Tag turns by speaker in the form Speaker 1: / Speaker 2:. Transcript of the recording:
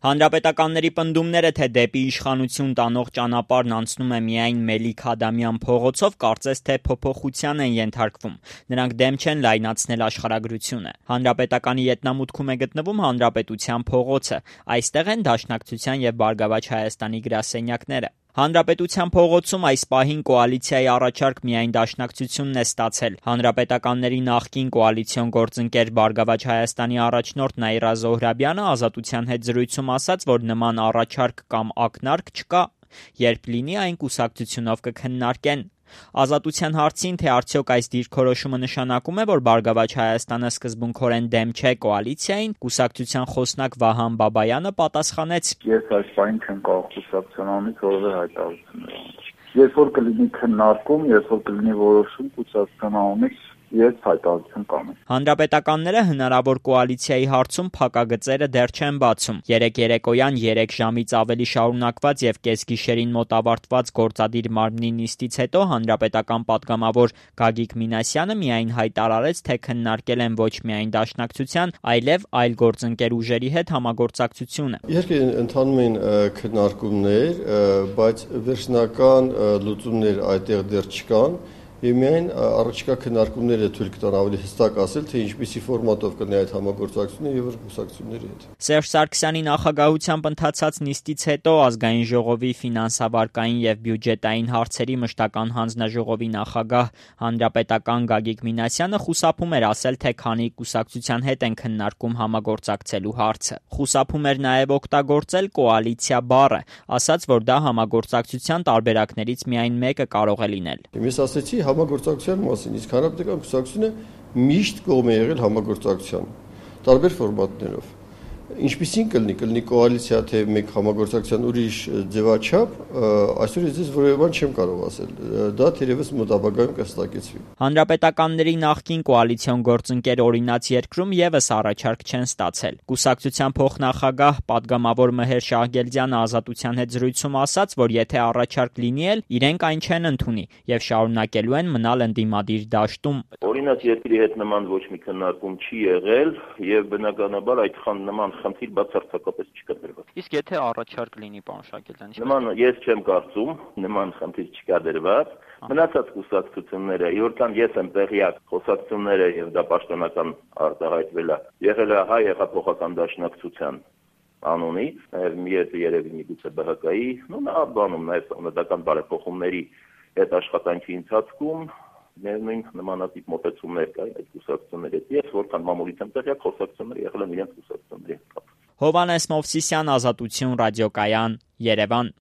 Speaker 1: Հանրապետականների պնդումները, թե դեպի իշխանություն տանող ճանապարհն անցնում է միայն Մելիք-Ադամյան փողոցով, կարծես թե փոփոխության են ենթարկվում։ Նրանք դեմ չեն լայնացնել աշխարհագրությունը։ Հանրապետականի ետնամուտքում է գտնվում Հանրապետության փողոցը։ Այստեղ են Դաշնակցության և Բարգավաճ Հայաստանի գրասենյակները։ Հանրապետության փողոցում այս պահին կոալիցիայի առաջարկ միայն Դաշնակցությունն է ստացել։ Հանրապետականների նախկին կոալիցիոն գործընկեր Բարգավաճ Հայաստանի առաջնորդ Նաիրա Զոհրաբյանը «Ազատության» հետ զրույցում ասաց, որ նման առաջարկ կամ ակնարկ չկա, երբ լինի այն կուսակցությունով կքննարկեն։ «Ազատության» հարցին, թե արդյոք այս դիրքորոշումը նշանակում է, որ Բարգավաճ Հայաստանը սկզբունքորեն դեմ չէ կոալիցիային, կուսակցության խոսնակ Վահան Բաբայանը պատասխանեց.
Speaker 2: Ես այս պահին չեմ կարող կուսակցության անունից որևէ հայտարարություն անել։ Երբ որ կլինի քննարկում, երբ որ կլինի որոշում կուսակցության անունից, ես հայտարարություն կանեմ։
Speaker 1: Հանրապետականները հնարավոր կոալիցիայի հարցում փակագծերը դեռ չեն բացում։ Երեկ երեկոյան 3 ժամից ավելի շարունակված և կեսգիշերին մոտ ավարտված գործադիր մարմնի նիստից հետո հանրապետական պատգամավոր Գագիկ Մինասյանը միայն հայտարարեց, թե քննարկել են ոչ միայն Դաշնակցության, այլև այլ գործընկեր ուժերի հետ համագործակցությունը։
Speaker 3: Իհարկե ընթանում են քննարկումներ, բայց վերջնական լուծումներ այդտեղ դեռ չկան։ Եվ միայն առաջիկա քննարկումները թույլ կտան ավելի հստակ ասել, թե ինչպիսի ֆորմատով կլինի այդ համագործակցությունը եւ կուսակցությունների հետ։
Speaker 1: Սերժ Սարգսյանի նախագահությամբ ընթացած նիստից հետո Ազգային ժողովի ֆինանսավարկային եւ բյուջետային հարցերի մշտական հանձնաժողովի նախագահ հանրապետական Գագիկ Մինասյանը խուսափում էր ասել, թե քանի կուսակցության հետ են քննարկում համագործակցելու հարցը։ Խուսափում էր նաեւ օգտագործել կոալիցիա բառը, ասաց, որ դա համագործակցության տարբերակներից միայն մեկը կարող է լինել։
Speaker 3: Ես ասացի համագործակցության մասին, իսկ հանրապետական կուսակցությունը միշտ կողմ է եղել համագործակցության տարբեր ֆորմատներով։ Ինչպիսին կլինի կոալիցիա, թե մեկ համագործակցության ուրիշ ձևաչափ, այսօր ես որևէ բան չեմ կարող ասել։ Դա թերևս մոտակայքում կհստակեցվի։
Speaker 1: Հանրապետականների նախկին կոալիցիոն գործընկեր օրինաց երկրում եւս առաջարկ չեն ստացել։ Կուսակցության փոխնախագահ պատգամավոր Մհեր Շահգելդյանը «Ազատության» հետ զրույցում ասաց, որ եթե առաջարկ լինի էլ, իրենք այն չեն ընդունի եւ շարունակելու են մնալ ընդդիմադիր դաշտում։
Speaker 4: Օրինաց երկրի հետ նման ոչ մի քննարկում չի եղել եւ բնականաբար այդ նման խնդիր բացարձակապես չկա դրված։
Speaker 1: Իսկ եթե առաջարկ լինի, պարոն Շահգելդյան,
Speaker 4: նման ես չեմ կարծում, նման խնդիր չկա դրված։ Մնացած կուսակցությունները, իհարկե ես եմ տեղյակ, խոսակցությունները եւ դա պաշտոնական արտահայտվել է։ Եղել է Հայ հեղափոխական դաշնակցության անունից, նաեւ երևի միգուցե ԲՀԿ-ի, նա բանում նաեւ սահմանադրական բարեփոխումների այդ աշխատանքի ընթացքում նույն նմանատիպ մոտեցումներ կային այդ կուսակցությունների հետ։ Ես որքան մամուլից եմ տեղյակ, խոսակցությունները եղել են իրենց կուսակցությունների հետ։
Speaker 1: Հովհաննես Մովսիսյան, Ազատություն ռադիոկայան, Երևան։